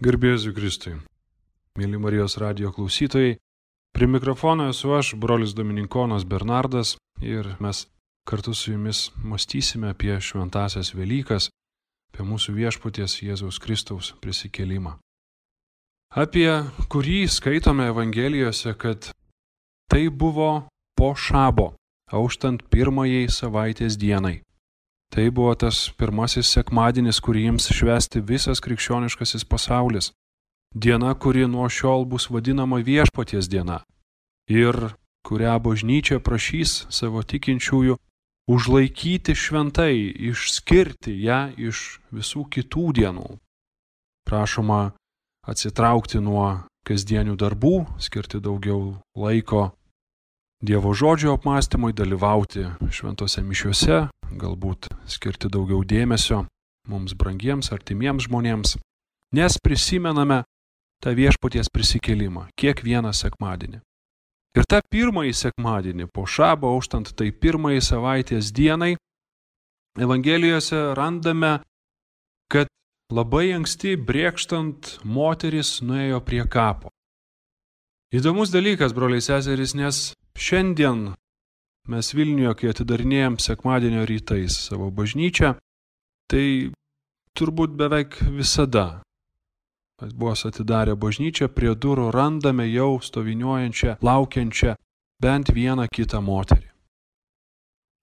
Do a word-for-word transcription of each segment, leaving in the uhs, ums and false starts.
Garbėsiu Kristui. Mėly Marijos radijo klausytojai, prie mikrofono esu aš, brolis Dominikonas Bernardas, ir mes kartu su jumis mąstysime apie šventąsias Velykas, apie mūsų viešpaties Jėzaus Kristaus prisikėlimą. Apie kurį skaitome Evangelijose, kad tai buvo po šabo, auštant pirmajai savaitės dienai. Tai buvo tas pirmasis sekmadienis, kurį jiems švęsti visas krikščioniškasis pasaulis. Diena, kuri nuo šiol bus vadinama viešpaties diena ir kurią bažnyčia prašys savo tikinčiųjų užlaikyti šventai, išskirti ją iš visų kitų dienų. Prašoma atsitraukti nuo kasdienių darbų, skirti daugiau laiko Dievo žodžio apmąstymui, dalyvauti šventose mišiuose, galbūt skirti daugiau dėmesio mums brangiems, artimiems žmonėms, nes prisimename tą viešpaties prisikėlimą kiekvieną sekmadienį. Ir tą pirmąjį sekmadienį, po šabo auštant tai pirmąjį savaitės dienai, Evangelijose randame, kad labai anksti brėkštant moteris nuėjo prie kapo. Įdomus dalykas, broliai seserys, nes šiandien mes Vilniuje, kai atidarinėjom sekmadienio rytais savo bažnyčią, tai turbūt beveik visada, kad buvo atidarę bažnyčią, prie durų randame jau stoviniuojančią, laukiančią bent vieną kitą moterį.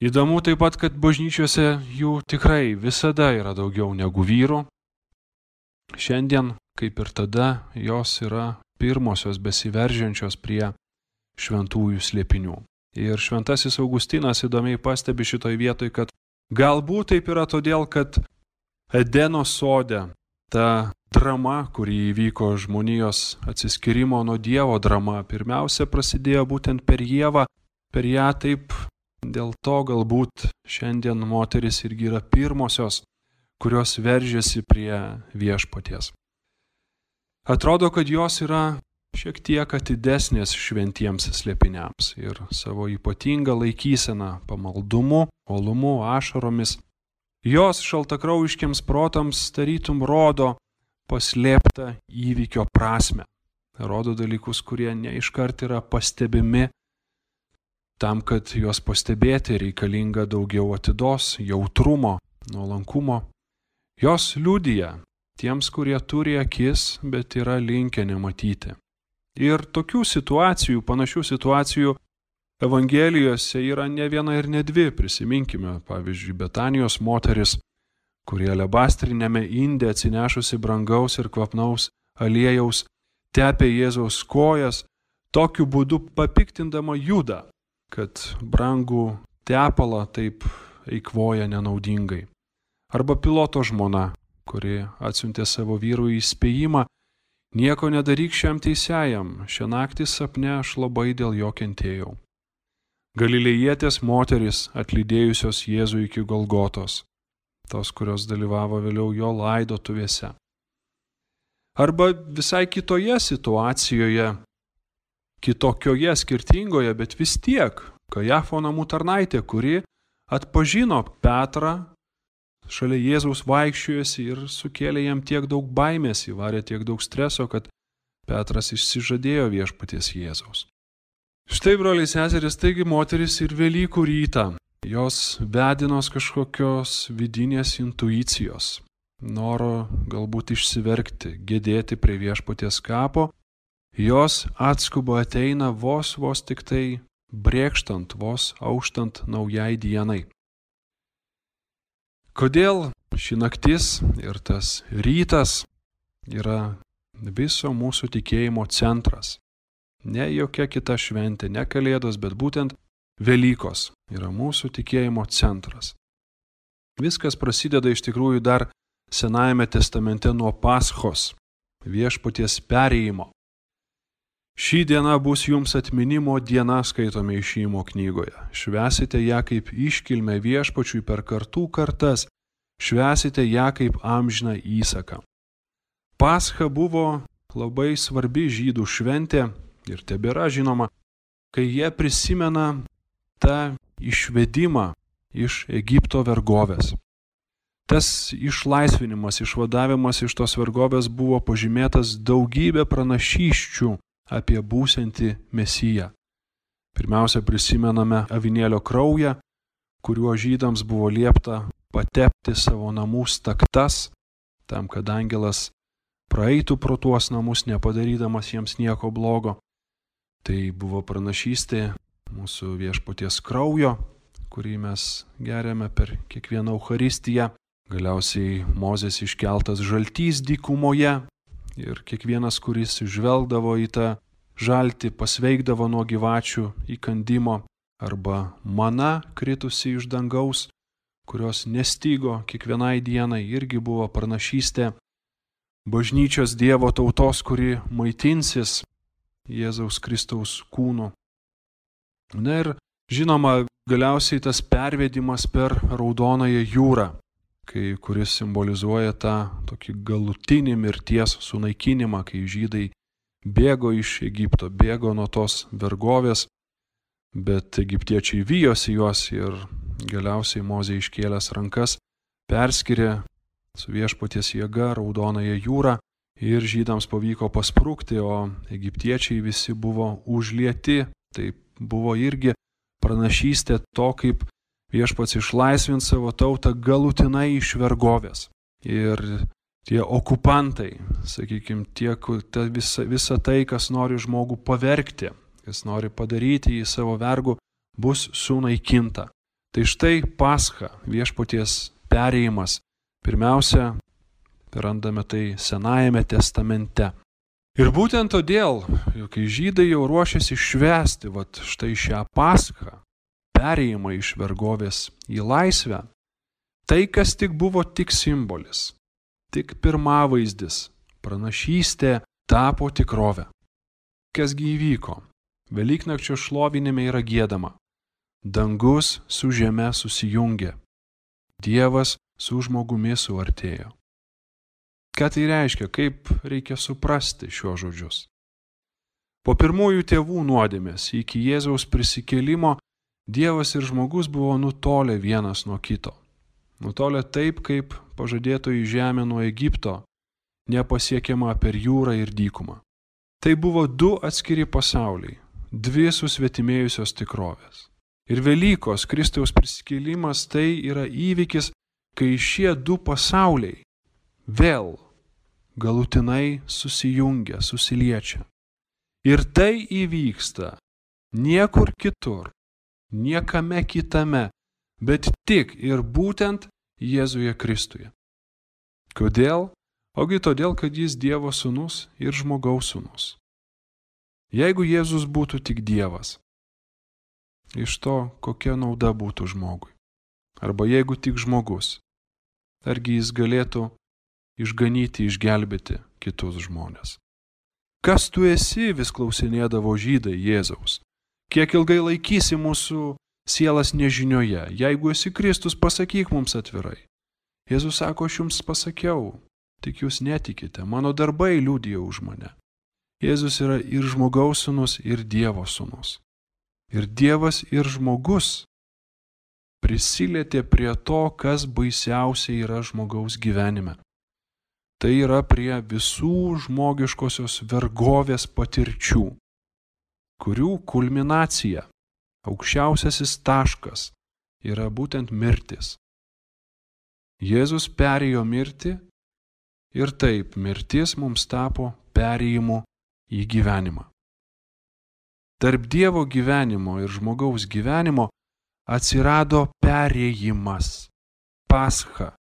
Įdomu taip pat, kad bažnyčiose jų tikrai visada yra daugiau negu vyrų. Šiandien, kaip ir tada, jos yra pirmosios besiveržiančios prie šventųjų slėpinių. Ir šventasis Augustinas įdomiai pastebi šitoj vietoj, kad galbūt taip yra todėl, kad Edeno sode ta drama, kuri įvyko žmonijos atsiskyrimo nuo Dievo drama, pirmiausia prasidėjo būtent per Ievą, per ją taip, dėl to galbūt šiandien moteris irgi yra pirmosios, kurios veržiasi prie viešpaties. Atrodo, kad jos yra šiek tiek atidesnės šventiems slėpiniams ir savo ypatingą laikyseną pamaldumu, uolumu, ašaromis. Jos šaltakraujiškiams protams tarytum rodo paslėptą įvykio prasmę. Rodo dalykus, kurie neiškart yra pastebimi. Tam, kad juos pastebėti, reikalinga daugiau atidos, jautrumo, nuolankumo. Jos liudija tiems, kurie turi akis, bet yra linkę nematyti. Ir tokių situacijų, panašių situacijų Evangelijose yra ne viena ir ne dvi. Prisiminkime, pavyzdžiui, Betanijos moteris, kurie alebastrinėme inde atsinešusi brangaus ir kvapnaus aliejaus tepė Jėzaus kojas, tokiu būdu papiktindama Judą, kad brangų tepalą taip eikvoja nenaudingai. Arba Piloto žmona, kuri atsiuntė savo vyrui įspėjimą: nieko nedaryk šiam teisėjam, šią naktį sapne aš labai dėl jo kentėjau. Galilėjietės moterys, atlydėjusios Jėzų iki Golgotos, tos, kurios dalyvavo vėliau jo laidotuvėse. Arba visai kitoje situacijoje, kitokioje, skirtingoje, bet vis tiek, Kajafo namų tarnaitė, kuri atpažino Petrą, šalia Jėzaus vaikščiojosi ir sukėlė jam tiek daug baimės, įvarė tiek daug streso, kad Petras išsižadėjo viešpaties Jėzaus. Štai, broliai seserys, taigi moteris ir Velykų rytą, jos vedinos kažkokios vidinės intuicijos, noro galbūt išsiverkti, gedėti prie viešpaties kapo, jos atskuba ateina vos vos tik tai brėkštant, vos auštant naujai dienai. Kodėl ši naktis ir tas rytas yra viso mūsų tikėjimo centras? Ne jokia kita šventė, ne Kalėdos, bet būtent Velykos yra mūsų tikėjimo centras. Viskas prasideda iš tikrųjų dar Senajame testamente nuo Paschos, viešpaties perėjimo. Ši diena bus jums atminimo diena, skaitome Išėjimo knygoje. Švęsite ją kaip iškilmę viešpačiui per kartų kartas, švęsite ją kaip amžiną įsaką. Pascha buvo labai svarbi žydų šventė ir tebėra žinoma, kai jie prisimena tą išvedimą iš Egipto vergovės. Tas išlaisvinimas, išvadavimas iš tos vergovės buvo pažymėtas daugybė pranašysčių apie būsiantį Mesiją. Pirmiausia, prisimename avinėlio kraują, kuriuo žydams buvo liepta patepti savo namų staktas, tam, kad angelas praeitų pro tuos namus, nepadarydamas jiems nieko blogo. Tai buvo pranašystė mūsų viešpaties kraujo, kurį mes geriame per kiekvieną Eucharistiją. Galiausiai Mozės iškeltas žaltys dykumoje ir kiekvienas, kuris žvelgdavo į tą žaltį, pasveikdavo nuo gyvačių įkandimo, arba mana kritusi iš dangaus, kurios nestigo kiekvienai dienai, irgi buvo pranašystė bažnyčios Dievo tautos, kuri maitinsis Jėzaus Kristaus kūnu. Na ir žinoma, galiausiai tas pervedimas per Raudonąją jūrą, kai, kuris simbolizuoja tą tokį galutinį mirties sunaikinimą, kai žydai bėgo iš Egipto, bėgo nuo tos vergovės, bet egiptiečiai vijosi juos ir galiausiai Mozė iškėlęs rankas perskyrė su viešpaties jėga Raudonąją jūrą ir žydams pavyko pasprukti, o egiptiečiai visi buvo užlieti. Tai buvo irgi pranašystė to, kaip viešpats išlaisvins savo tautą galutinai iš vergovės. Ir tie okupantai, sakykime, tie, ta visa, visa tai, kas nori žmogų pavergti, kas nori padaryti jį savo vergu, bus sunaikinta. Tai štai Pascha, viešpaties perėjimas. Pirmiausia, randame tai Senajame testamente. Ir būtent todėl, kai žydai jau ruošiasi švęsti vat štai šią Paschą, perėjimą iš vergovės į laisvę, tai, kas tik buvo tik simbolis, tik pirmavaizdis, pranašystė tapo tikrove. Kasgi įvyko? Velyknakčio šlovinime yra giedama. Dangus su žeme susijungė. Dievas su žmogumi suartėjo. Ką tai reiškia? Kaip reikia suprasti šiuos žodžius? Po pirmųjų tėvų nuodėmės iki Jėzaus prisikėlimo Dievas ir žmogus buvo nutolę vienas nuo kito. Nutolę taip, kaip pažadėtoji žemė nuo Egipto, nepasiekiama per jūrą ir dykumą. Tai buvo du atskiri pasauliai, dvi susvetimėjusios tikrovės. Ir Velykos, Kristaus prisikėlimas, tai yra įvykis, kai šie du pasauliai vėl galutinai susijungia, susiliečia. Ir tai įvyksta niekur kitur, niekame kitame, bet tik ir būtent Jėzuje Kristuje. Kodėl? Ogi todėl, kad jis Dievo sūnus ir žmogaus sūnus. Jeigu Jėzus būtų tik Dievas, iš to kokia nauda būtų žmogui? Arba jeigu tik žmogus, argi jis galėtų išganyti, išgelbėti kitus žmonės? Kas tu esi, vis klausinėdavo žydai Jėzaus? Kiek ilgai laikysi mūsų sielas nežinioje? Jeigu esi Kristus, pasakyk mums atvirai. Jėzus sako, aš jums pasakiau, tik jūs netikite, mano darbai liudija už mane. Jėzus yra ir žmogaus sūnus, ir Dievo sūnus. Ir Dievas, ir žmogus prisilietė prie to, kas baisiausiai yra žmogaus gyvenime. Tai yra prie visų žmogiškosios vergovės patirčių, kurių kulminacija, aukščiausiasis taškas yra būtent mirtis. Jėzus perėjo mirtį ir taip mirtis mums tapo perėjimu į gyvenimą. Tarp Dievo gyvenimo ir žmogaus gyvenimo atsirado perėjimas, Pascha.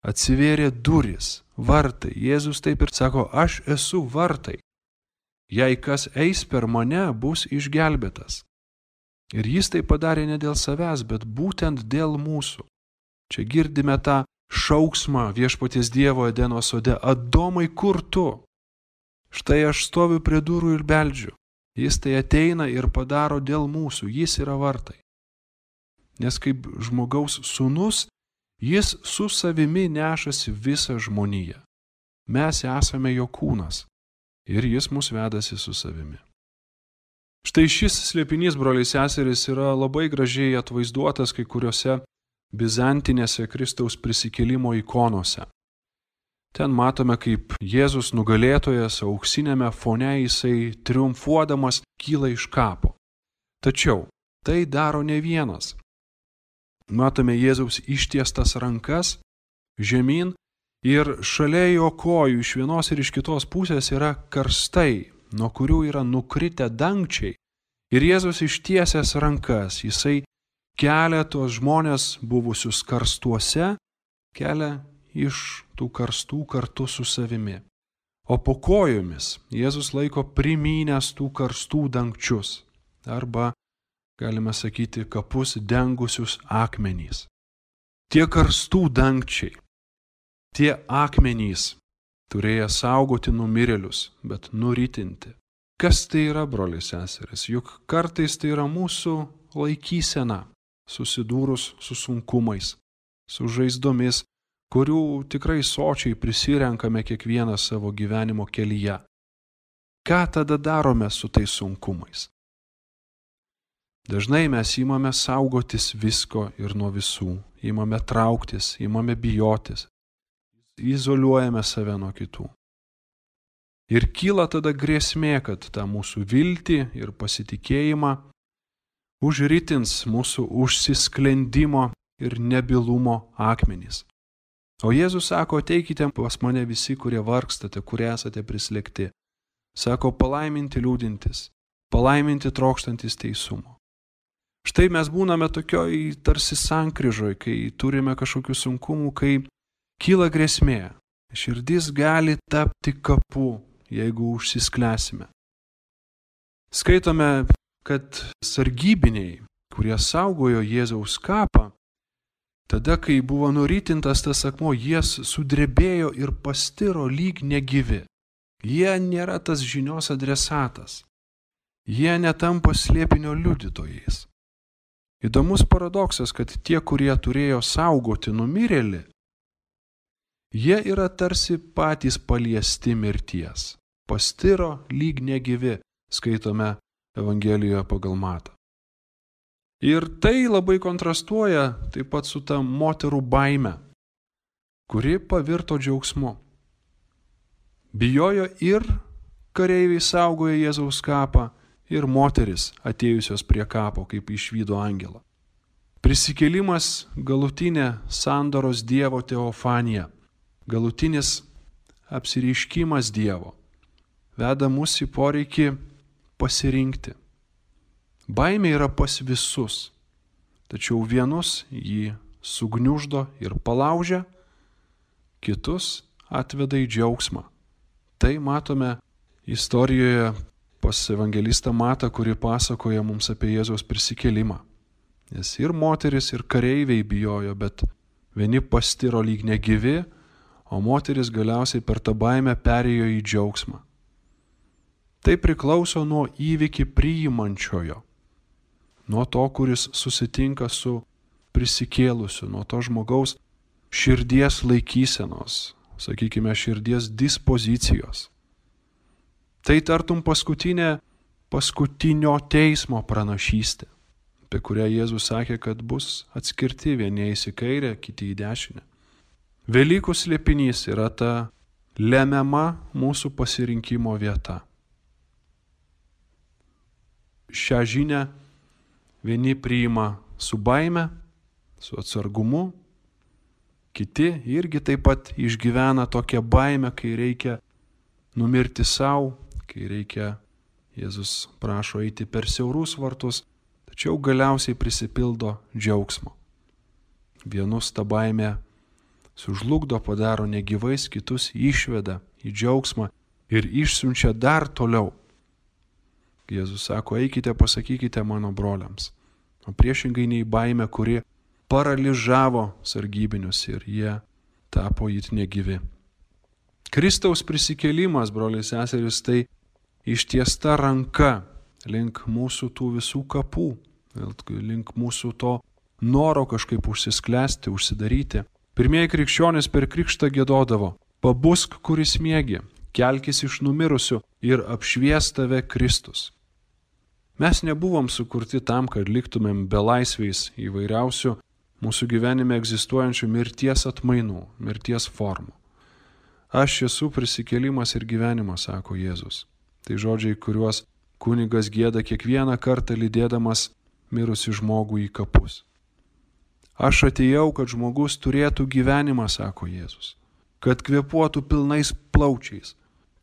Atsivėrė durys, vartai. Jėzus taip ir sako, aš esu vartai. Jei kas eis per mane, bus išgelbėtas. Ir jis tai padarė ne dėl savęs, bet būtent dėl mūsų. Čia girdime tą šauksmą viešpaties Dievo Edeno sode. Adomai, kur tu? Štai aš stoviu prie durų ir beldžiu. Jis tai ateina ir padaro dėl mūsų. Jis yra vartai. Nes kaip žmogaus sūnus, jis su savimi nešasi visą žmoniją. Mes esame jo kūnas ir jis mus vedasi su savimi. Štai šis slėpinys, broliai seserys, yra labai gražiai atvaizduotas kai kuriuose bizantinėse Kristaus prisikėlimo ikonose. Ten matome, kaip Jėzus nugalėtojas auksinėme fone jisai triumfuodamas kyla iš kapo. Tačiau tai daro ne vienas. Matome Jėzaus ištiestas rankas žemyn ir šalia jo kojų iš vienos ir iš kitos pusės yra karstai, nuo kurių yra nukritę dangčiai. Ir Jėzus ištiesęs rankas, jisai kelia tuos žmonės buvusius karstuose, kelia iš tų karstų kartu su savimi. O po kojomis Jėzus laiko primynęs tų karstų dangčius, arba, galime sakyti, kapus dengusius akmenys. Tie karstų dangčiai, tie akmenys turėjo saugoti numirėlius, bet nuritinti. Kas tai yra, broliai seserys? Juk kartais tai yra mūsų laikysena, susidūrus su sunkumais, su žaizdomis, kurių tikrai sočiai prisirenkame kiekvieną savo gyvenimo kelyje. Ką tada darome su tais sunkumais? Dažnai mes įmame saugotis visko ir nuo visų, įmame trauktis, įmame bijotis, izoliuojame save nuo kitų. Ir kyla tada grėsmė, kad tą mūsų viltį ir pasitikėjimą užritins mūsų užsisklendimo ir nebylumo akmenys. O Jėzus sako, ateikite pas mane visi, kurie vargstate, kurie esate prislėgti. Sako, palaiminti liūdintis, palaiminti trokštantis teisumo. Štai mes būname tokioj tarsi sankryžoj, kai turime kažkokių sunkumų, kai kyla grėsmė. Širdis gali tapti kapu, jeigu užsisklęsime. Skaitome, kad sargybiniai, kurie saugojo Jėzaus kapą, tada, kai buvo nuritintas tas akmuo, jie sudrebėjo ir pastiro lyg negyvi. Jie nėra tas žinios adresatas. Jie netampa slėpinio liudytojais. Įdomus paradoksas, kad tie, kurie turėjo saugoti numirėlį, jie yra tarsi patys paliesti mirties. Pastiro lyg negyvi, skaitome Evangelijoje pagal Matą. Ir tai labai kontrastuoja taip pat su ta moterų baime, kuri pavirto džiaugsmu. Bijojo ir kareiviai saugojo Jėzaus kapą, ir moteris atėjusios prie kapo, kaip išvydo angelą. Prisikėlimas galutinė sandoros Dievo teofanija, galutinis apsireiškimas Dievo, veda mus į poreikį pasirinkti. Baimė yra pas visus, tačiau vienus jį sugniuždo ir palaužia, kitus atveda į džiaugsmą. Tai matome istorijoje pas evangelistą Matą, kuri pasakoja mums apie Jėzaus prisikėlimą. Nes ir moteris, ir kareiviai bijojo, bet vieni pastiro lyg negyvi, o moteris galiausiai per tą baimę perėjo į džiaugsmą. Tai priklauso nuo įvykį priimančiojo, nuo to, kuris susitinka su prisikėlusiu, nuo to žmogaus širdies laikysenos, sakykime, širdies dispozicijos. Tai tartum paskutinė, paskutinio teismo pranašystė, apie kurią Jėzus sakė, kad bus atskirti vieni į kairę, kiti į dešinę. Velykų slėpinys yra ta lemiama mūsų pasirinkimo vieta. Šią žinią vieni priima su baime, su atsargumu, kiti irgi taip pat išgyvena tokią baimę, kai reikia numirti savo, kai reikia, Jėzus prašo eiti per siaurus vartus, tačiau galiausiai prisipildo džiaugsmo. Vienus ta baimė sužlugdo, padaro negyvais, kitus išveda į džiaugsmą ir išsiunčia dar toliau. Jėzus sako, eikite, pasakykite mano broliams. O priešingai nei baimė, kuri paralyžavo sargybinius ir jie tapo it negyvi. Kristaus prisikėlimas, broliai seserys, tai ištiesta ranka link mūsų tų visų kapų, link mūsų to noro kažkaip užsisklęsti, užsidaryti. Pirmieji krikščionys per krikštą giedodavo, pabusk, kuris miegi, kelkis iš numirusių ir apšvies tave Kristus. Mes nebuvom sukurti tam, kad liktumėm belaisviais įvairiausių mūsų gyvenime egzistuojančių mirties atmainų, mirties formų. Aš esu prisikėlimas ir gyvenimas, sako Jėzus. Tai žodžiai, kuriuos kunigas gieda kiekvieną kartą lydėdamas mirusi žmogų į kapus. Aš atėjau, kad žmogus turėtų gyvenimą, sako Jėzus, kad kvėpuotų pilnais plaučiais,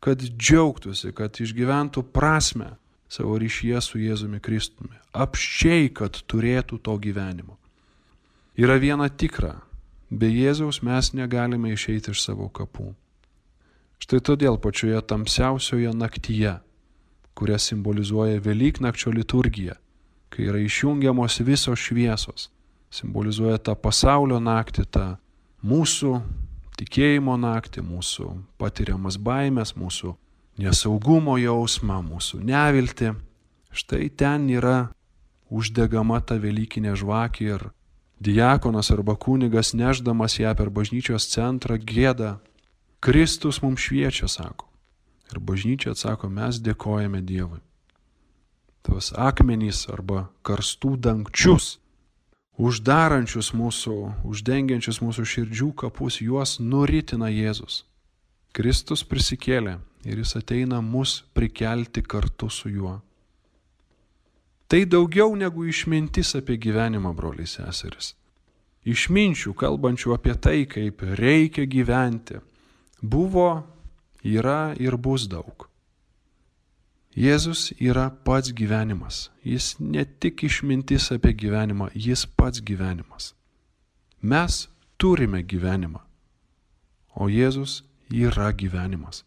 kad džiaugtųsi, kad išgyventų prasmę savo ryšyje su Jėzumi Kristumi, apsčiai, kad turėtų to gyvenimo. Yra viena tikra, be Jėzaus mes negalime išeiti iš savo kapų. Štai todėl pačioje tamsiausioje naktyje, kurią simbolizuoja Velyknakčio liturgija, kai yra išjungiamos visos šviesos, simbolizuoja tą pasaulio naktį, tą mūsų tikėjimo naktį, mūsų patiriamas baimės, mūsų nesaugumo jausmą, mūsų neviltį. Štai ten yra uždegama ta velykinė žvakė ir diakonas arba kunigas nešdamas ją per bažnyčios centrą gieda: Kristus mums šviečia, sako. Ir bažnyčia atsako: mes dėkojame Dievui. Tos akmenys arba karstų dangčius, uždarančius mūsų, uždengiančius mūsų širdžių kapus, juos nuritina Jėzus. Kristus prisikėlė ir jis ateina mus prikelti kartu su juo. Tai daugiau negu išmintis apie gyvenimą, broliai seserys. Išminčių, kalbančių apie tai, kaip reikia gyventi, buvo, yra ir bus daug. Jėzus yra pats gyvenimas. Jis ne tik išmintis apie gyvenimą, jis pats gyvenimas. Mes turime gyvenimą, o Jėzus yra gyvenimas.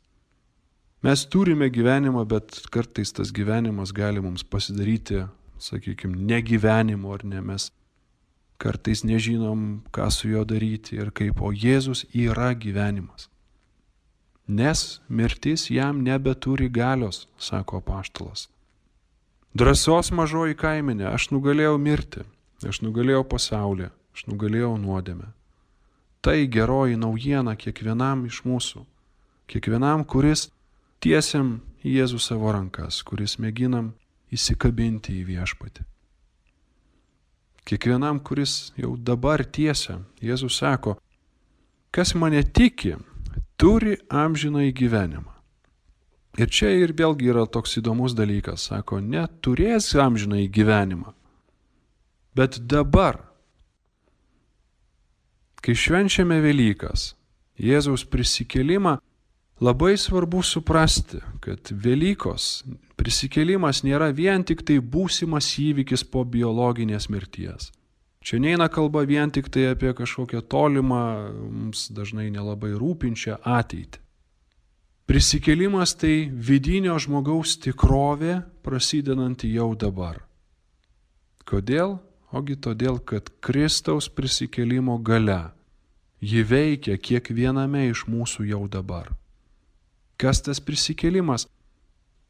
Mes turime gyvenimą, bet kartais tas gyvenimas gali mums pasidaryti, sakykime, negyvenimu ar ne. Mes kartais nežinom, ką su juo daryti ir kaip, o Jėzus yra gyvenimas. Nes mirtis jam nebeturi galios, sako apaštalas. Drąsos mažoji kaimenė, aš nugalėjau mirti, aš nugalėjau pasaulį, aš nugalėjau nuodėmę. Tai geroji naujiena kiekvienam iš mūsų, kiekvienam, kuris tiesiam į Jėzų savo rankas, kuris mėginam įsikabinti į viešpatį. Kiekvienam, kuris jau dabar tiesia, Jėzus sako: kas mane tiki, turi amžinąjį gyvenimą. Ir čia ir vėlgi yra toks įdomus dalykas, sako, neturės amžinąjį gyvenimą. Bet dabar, kai švenčiame Velykas, Jėzaus prisikėlimą, labai svarbu suprasti, kad Velykos prisikėlimas nėra vien tik tai būsimas įvykis po biologinės mirties. Čia neina kalba vien tik tai apie kažkokią tolimą, mums dažnai nelabai rūpinčią ateitį. Prisikėlimas tai vidinio žmogaus tikrovė, prasidedanti jau dabar. Kodėl? Ogi todėl, kad Kristaus prisikėlimo galia, ji veikia kiekviename iš mūsų jau dabar. Kas tas prisikėlimas?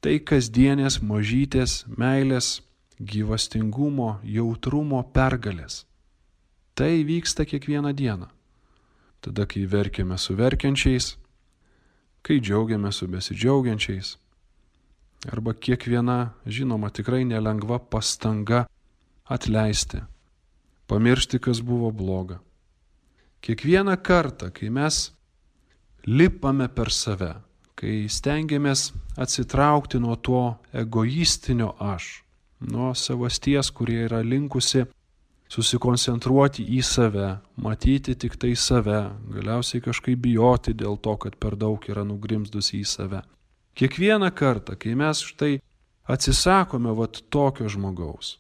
Tai kasdienės mažytės meilės, gyvastingumo, jautrumo pergalės. Tai vyksta kiekvieną dieną. Tada, kai verkiame su verkiančiais, kai džiaugiame su besidžiaugiančiais, arba kiekviena, žinoma, tikrai nelengva pastanga atleisti, pamiršti, kas buvo bloga. Kiekvieną kartą, kai mes lipame per save, kai stengiamės atsitraukti nuo to egoistinio aš, nuo savasties, kurie yra linkusi susikoncentruoti į save, matyti tik tai save, galiausiai kažkaip bijoti dėl to, kad per daug yra nugrimzdusi į save. Kiekvieną kartą, kai mes štai atsisakome vat tokio žmogaus,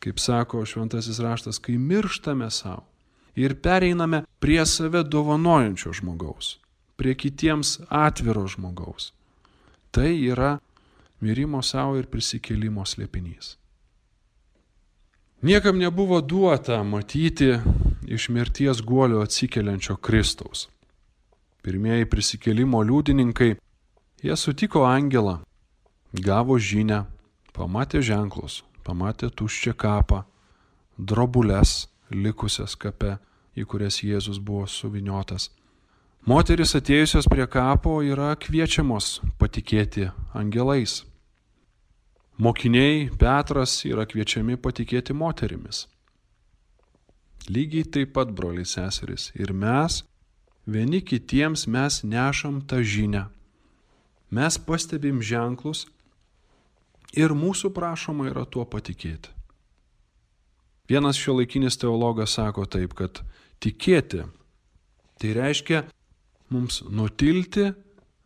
kaip sako šventasis raštas, kai mirštame savo ir pereiname prie save dovanojančio žmogaus, prie kitiems atviro žmogaus, tai yra mirimo savo ir prisikėlimo slėpinys. Niekam nebuvo duota matyti iš mirties guolio atsikeliančio Kristaus. Pirmieji prisikėlimo liudininkai, jie sutiko angelą, gavo žinią, pamatė ženklus, pamatė tuščią kapą, drobules likusias kape, į kurias Jėzus buvo suviniotas. Moterys atėjusios prie kapo yra kviečiamos patikėti angelais. Mokiniai Petras yra kviečiami patikėti moterimis. Lygiai taip pat, broliai seserys, ir mes, vieni kitiems mes nešam tą žinią. Mes pastebim ženklus ir mūsų prašoma yra tuo patikėti. Vienas šiuolaikinis teologas sako taip, kad tikėti tai reiškia mums nutilti,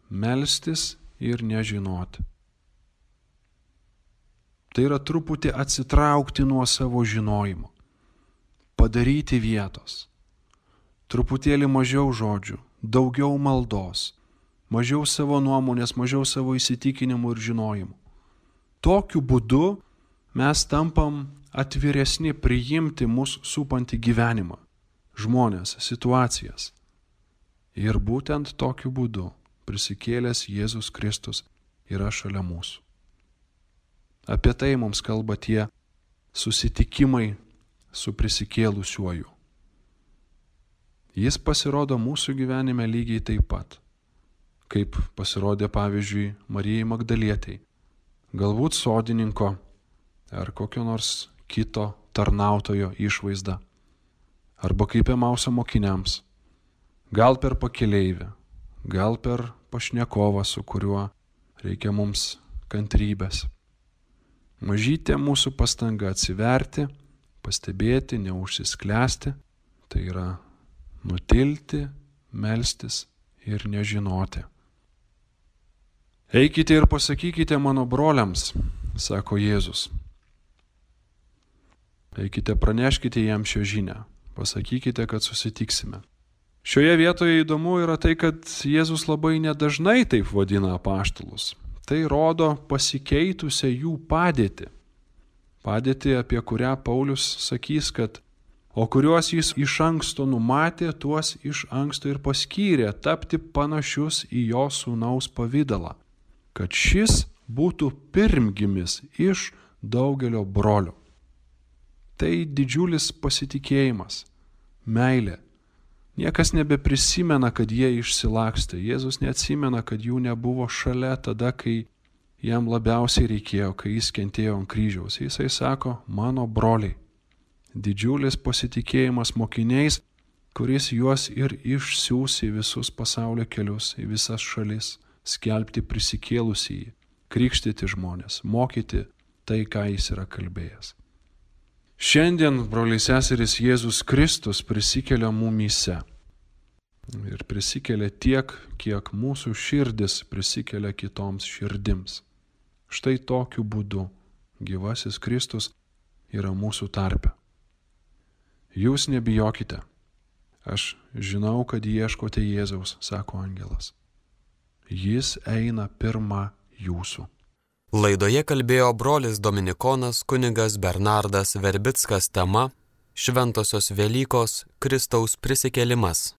melstis ir nežinoti. Tai yra truputį atsitraukti nuo savo žinojimo, padaryti vietos, truputėlį mažiau žodžių, daugiau maldos, mažiau savo nuomonės, mažiau savo įsitikinimų ir žinojimų. Tokiu būdu mes tampam atviresni priimti mūsų supantį gyvenimą, žmonės, situacijas. Ir būtent tokiu būdu prisikėlęs Jėzus Kristus yra šalia mūsų. Apie tai mums kalba tie susitikimai su prisikėlusiuoju. Jis pasirodo mūsų gyvenime lygiai taip pat, kaip pasirodė pavyzdžiui Marijai Magdalietei, galbūt sodininko ar kokio nors kito tarnautojo išvaizda, arba kaip Emauso mokiniams, gal per pakeleivę, gal per pašnekovą, su kuriuo reikia mums kantrybės. Mažytė mūsų pastanga atsiverti, pastebėti, neužsisklęsti, tai yra nutilti, melstis ir nežinoti. Eikite ir pasakykite mano broliams, sako Jėzus. Eikite, praneškite jam šią žinią, pasakykite, kad susitiksime. Šioje vietoje įdomu yra tai, kad Jėzus labai nedažnai taip vadina apaštalus. Tai rodo pasikeitusią jų padėtį. Padėtį, apie kurią Paulius sakys, kad o kuriuos jis iš anksto numatė, tuos iš anksto ir paskyrė tapti panašius į jo sūnaus pavidalą, kad šis būtų pirmgimis iš daugelio brolių. Tai didžiulis pasitikėjimas, meilė. Niekas nebeprisimena, kad jie išsilakstė. Jėzus neatsimena, kad jų nebuvo šalia tada, kai jam labiausiai reikėjo, kai jis kentėjo ant kryžiaus. Jisai sako, mano broliai. Didžiulis pasitikėjimas mokiniais, kuris juos ir išsiųs į visus pasaulio kelius, į visas šalis, skelbti prisikėlusįjį, krikštyti žmonės, mokyti tai, ką jis yra kalbėjęs. Šiandien, broliai seserys, Jėzus Kristus prisikelia mumyse. Ir prisikelia tiek, kiek mūsų širdis prisikelia kitoms širdims. Štai tokiu būdu gyvasis Kristus yra mūsų tarpe. Jūs nebijokite. Aš žinau, kad ieškote Jėzaus, sako angelas. Jis eina pirma jūsų. Laidoje kalbėjo brolis dominikonas kunigas Bernardas Verbickas tema Šventosios Velykos Kristaus prisikėlimas.